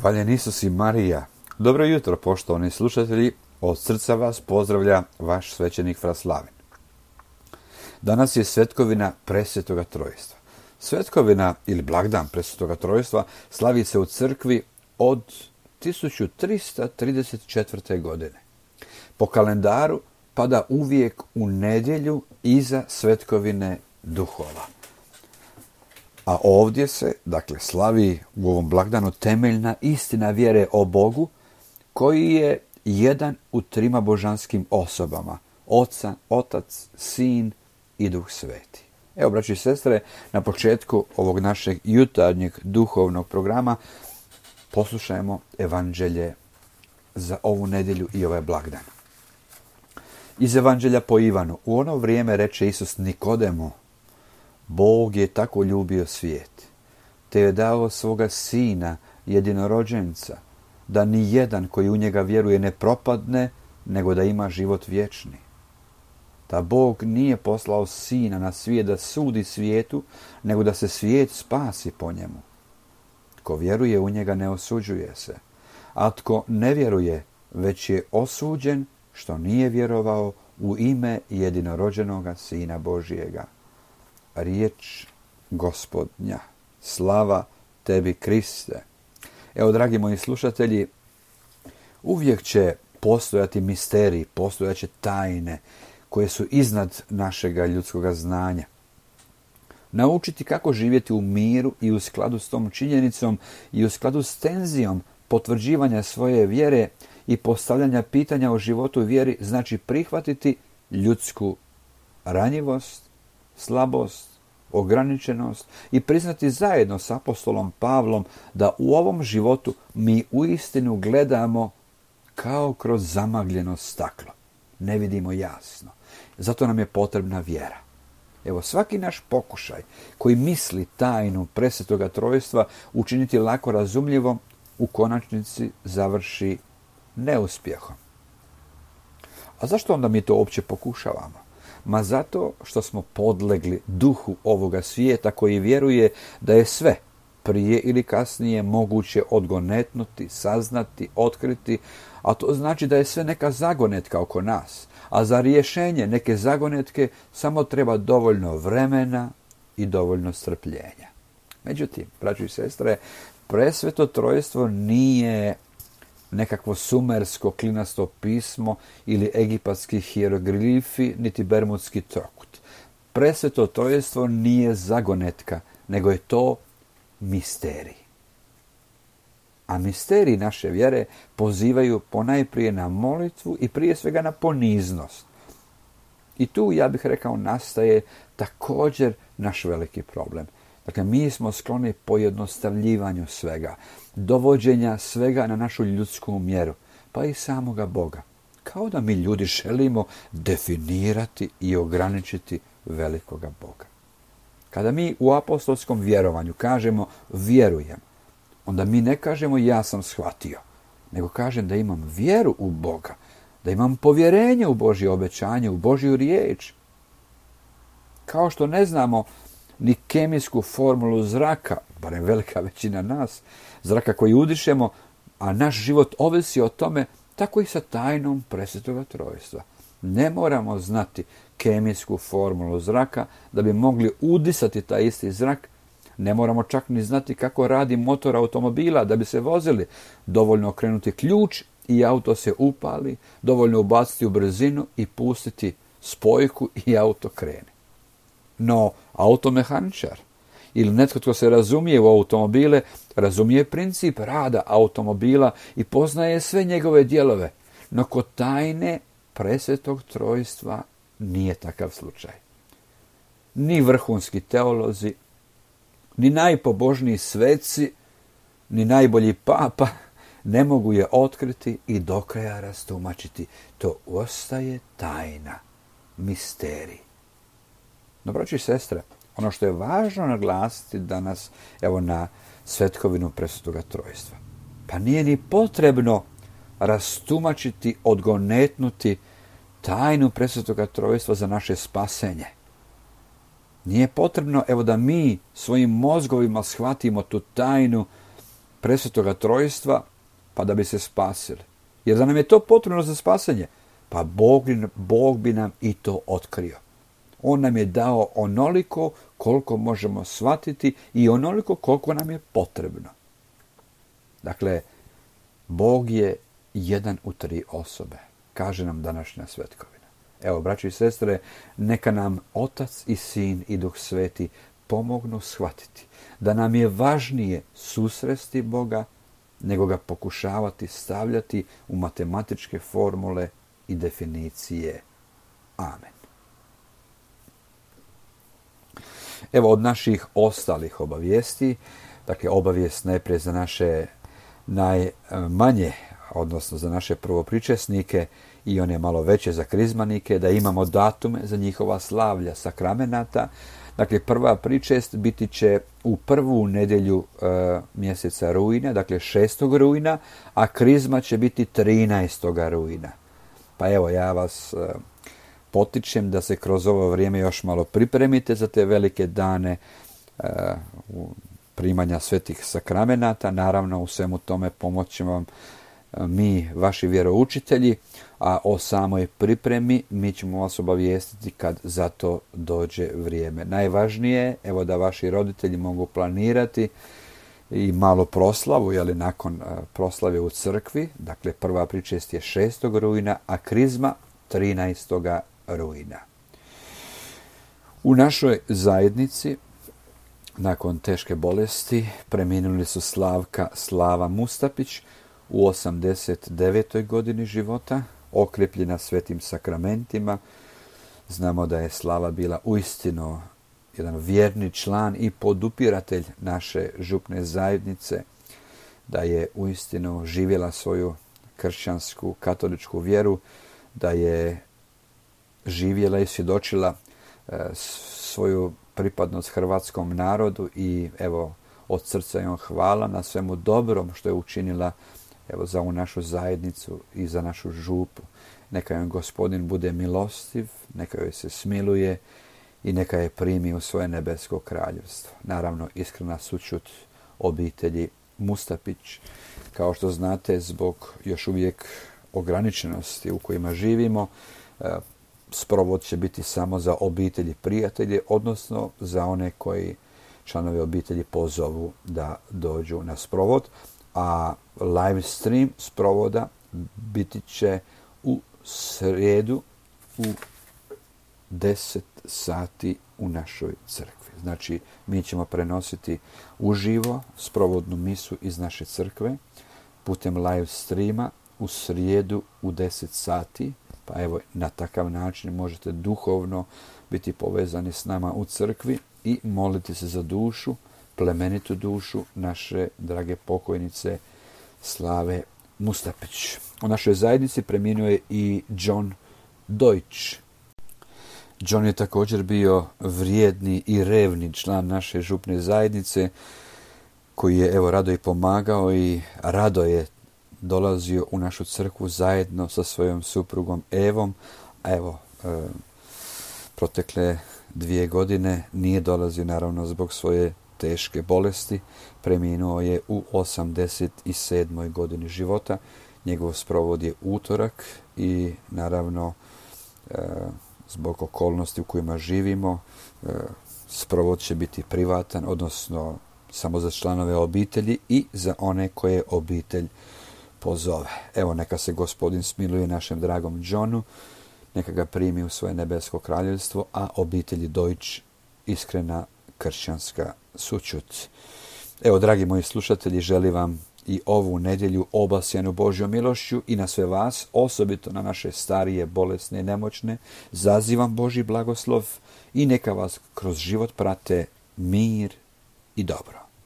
Hvaljen Isus i Marija. Dobro jutro, poštovani slušatelji. Od srca vas pozdravlja vaš svećenik Fra Slavin. Danas je svetkovina Presvetoga Trojstva. Svetkovina ili blagdan Presvetoga Trojstva slavi se u crkvi od 1334. godine. Po kalendaru pada uvijek u nedjelju iza svetkovine duhova. A ovdje se, slavi u ovom blagdanu temeljna istina vjere o Bogu, koji je jedan u trima božanskim osobama, Otac, Sin i Duh Sveti. Evo, braći i sestre, na početku ovog našeg jutarnjeg duhovnog programa poslušajmo evanđelje za ovu nedjelju i ovaj blagdan. Iz evanđelja po Ivanu. U ono vrijeme reče Isus Nikodemu: Bog je tako ljubio svijet, te je dao svoga Sina jedinorođenca, da ni jedan koji u njega vjeruje ne propadne, nego da ima život vječni. Da Bog nije poslao Sina na svijet da sudi svijetu, nego da se svijet spasi po njemu. Tko vjeruje u njega ne osuđuje se, a tko ne vjeruje, već je osuđen što nije vjerovao u ime jedinorođenoga Sina Božijega. Riječ Gospodnja. Slava tebi, Kriste. Evo, dragi moji slušatelji, uvijek će postojati misteriji, postojat će tajne koje su iznad našega ljudskoga znanja. Naučiti kako živjeti u miru i u skladu s tom činjenicom i u skladu s tenzijom potvrđivanja svoje vjere i postavljanja pitanja o životu i vjeri znači prihvatiti ljudsku ranjivost, slabost, ograničenost i priznati zajedno s apostolom Pavlom da u ovom životu mi uistinu gledamo kao kroz zamagljeno staklo. Ne vidimo jasno. Zato nam je potrebna vjera. Evo, svaki naš pokušaj koji misli tajnu Presvetoga Trojstva učiniti lako razumljivom, u konačnici završi neuspjehom. A zašto onda mi to uopće pokušavamo? Ma zato što smo podlegli duhu ovoga svijeta koji vjeruje da je sve prije ili kasnije moguće odgonetnuti, saznati, otkriti, a to znači da je sve neka zagonetka oko nas, a za rješenje neke zagonetke samo treba dovoljno vremena i dovoljno strpljenja. Međutim, braćo i sestre, Presveto Trojstvo nije nekakvo sumersko klinasto pismo ili egipatski hieroglifi, niti bermudski trokut. Presveto Trojstvo nije zagonetka, nego je to misterij. A misteriji naše vjere pozivaju ponajprije na molitvu i prije svega na poniznost. I tu, ja bih rekao, nastaje također naš veliki problem. Dakle, mi smo skloni pojednostavljivanju svega, dovođenja svega na našu ljudsku mjeru, pa i samoga Boga. Kao da mi ljudi želimo definirati i ograničiti velikoga Boga. Kada mi u apostolskom vjerovanju kažemo vjerujem, onda mi ne kažemo ja sam shvatio, nego kažem da imam vjeru u Boga, da imam povjerenje u Božje obećanje, u Božju riječ. Kao što ne znamo ni kemijsku formulu zraka, barem velika većina nas, zraka koji udišemo, a naš život ovisi o tome, tako i sa tajnom Presvetoga Trojstva. Ne moramo znati kemijsku formulu zraka da bi mogli udisati taj isti zrak. Ne moramo čak ni znati kako radi motor automobila da bi se vozili. Dovoljno okrenuti ključ i auto se upali, dovoljno ubaciti u brzinu i pustiti spojku i auto krene. No, automehaničar ili netko tko se razumije u automobile, razumije princip rada automobila i poznaje sve njegove dijelove. No kod tajne Presvetog Trojstva nije takav slučaj. Ni vrhunski teolozi, ni najpobožniji sveci, ni najbolji papa ne mogu je otkriti i do kraja rastumačiti. To ostaje tajna, misterij. No, braći i sestre, ono što je važno naglasiti danas, evo na svetkovinu Presvetoga Trojstva, pa nije ni potrebno rastumačiti, odgonetnuti tajnu Presvetoga Trojstva za naše spasenje. Nije potrebno, evo, da mi svojim mozgovima shvatimo tu tajnu presvetoga trojstva, pa da bi se spasili. Jer da nam je to potrebno za spasenje, pa Bog bi nam i to otkrio. On nam je dao onoliko koliko možemo shvatiti i onoliko koliko nam je potrebno. Dakle, Bog je jedan u 3 osobe, kaže nam današnja svetkovina. Evo, braći i sestre, neka nam Otac i Sin i Duh Sveti pomognu shvatiti da nam je važnije susresti Boga nego ga pokušavati stavljati u matematičke formule i definicije. Amen. Evo od naših ostalih obavijesti, dakle obavijest najprije za naše najmanje, odnosno za naše prvopričesnike i one malo veće za krizmanike, da imamo datume za njihova slavlja sakramenata. Dakle, prva pričest biti će u prvu nedjelju mjeseca rujna, dakle 6. rujna, a krizma će biti 13. rujna. Pa evo, ja vas potičem da se kroz ovo vrijeme još malo pripremite za te velike dane primanja svetih sakramenata. Naravno, u svemu tome pomoći vam mi, vaši vjeroučitelji, a o samoj pripremi mi ćemo vas obavijestiti kad za to dođe vrijeme. Najvažnije je, evo, da vaši roditelji mogu planirati i malu proslavu, nakon proslave u crkvi. Dakle, prva pričest je 6. rujna, a krizma 13. rujna. U našoj zajednici nakon teške bolesti preminuli su Slava Mustapić u 89. godini života, okrepljena svetim sakramentima. Znamo da je Slava bila uistinu jedan vjerni član i podupiratelj naše župne zajednice, da je uistinu živjela svoju kršćansku, katoličku vjeru, da je živjela i svjedočila svoju pripadnost hrvatskom narodu i evo, od srca joj hvala na svemu dobrom što je učinila za ovu našu zajednicu i za našu župu. Neka joj Gospodin bude milostiv, neka joj se smiluje i neka je primi u svoje nebesko kraljevstvo. Naravno, iskrena sućut obitelji Mustapić. Kao što znate, zbog još uvijek ograničenosti u kojima živimo, sprovod će biti samo za obitelji prijatelje, odnosno za one koji članovi obitelji pozovu da dođu na sprovod, a live stream sprovoda biti će u srijedu u 10 sati u našoj crkvi. Znači, mi ćemo prenositi uživo sprovodnu misu iz naše crkve putem live streama u srijedu u 10 sati. Pa evo, na takav način možete duhovno biti povezani s nama u crkvi i moliti se za dušu, plemenitu dušu naše drage pokojnice Slave Mustapić. U našoj zajednici preminuo je i John Deutsch. John je također bio vrijedni i revni član naše župne zajednice, koji je rado i pomagao i rado je dolazio u našu crkvu zajedno sa svojom suprugom Evom. A protekle 2 godine nije dolazio, naravno, zbog svoje teške bolesti. Preminuo je u 87. godini života. Njegov sprovod je utorak i naravno zbog okolnosti u kojima živimo sprovod će biti privatan, odnosno samo za članove obitelji i za one koje obitelj pozove. Evo, neka se Gospodin smiluje našem dragom Johnu, neka ga primi u svoje nebesko kraljevstvo, a obitelji Deutsch iskrena kršćanska sućut. Evo, dragi moji slušatelji, želim vam i ovu nedjelju obasjanu Božjom milošću i na sve vas, osobito na naše starije, bolesne i nemoćne, zazivam Božji blagoslov i neka vas kroz život prate mir i dobro.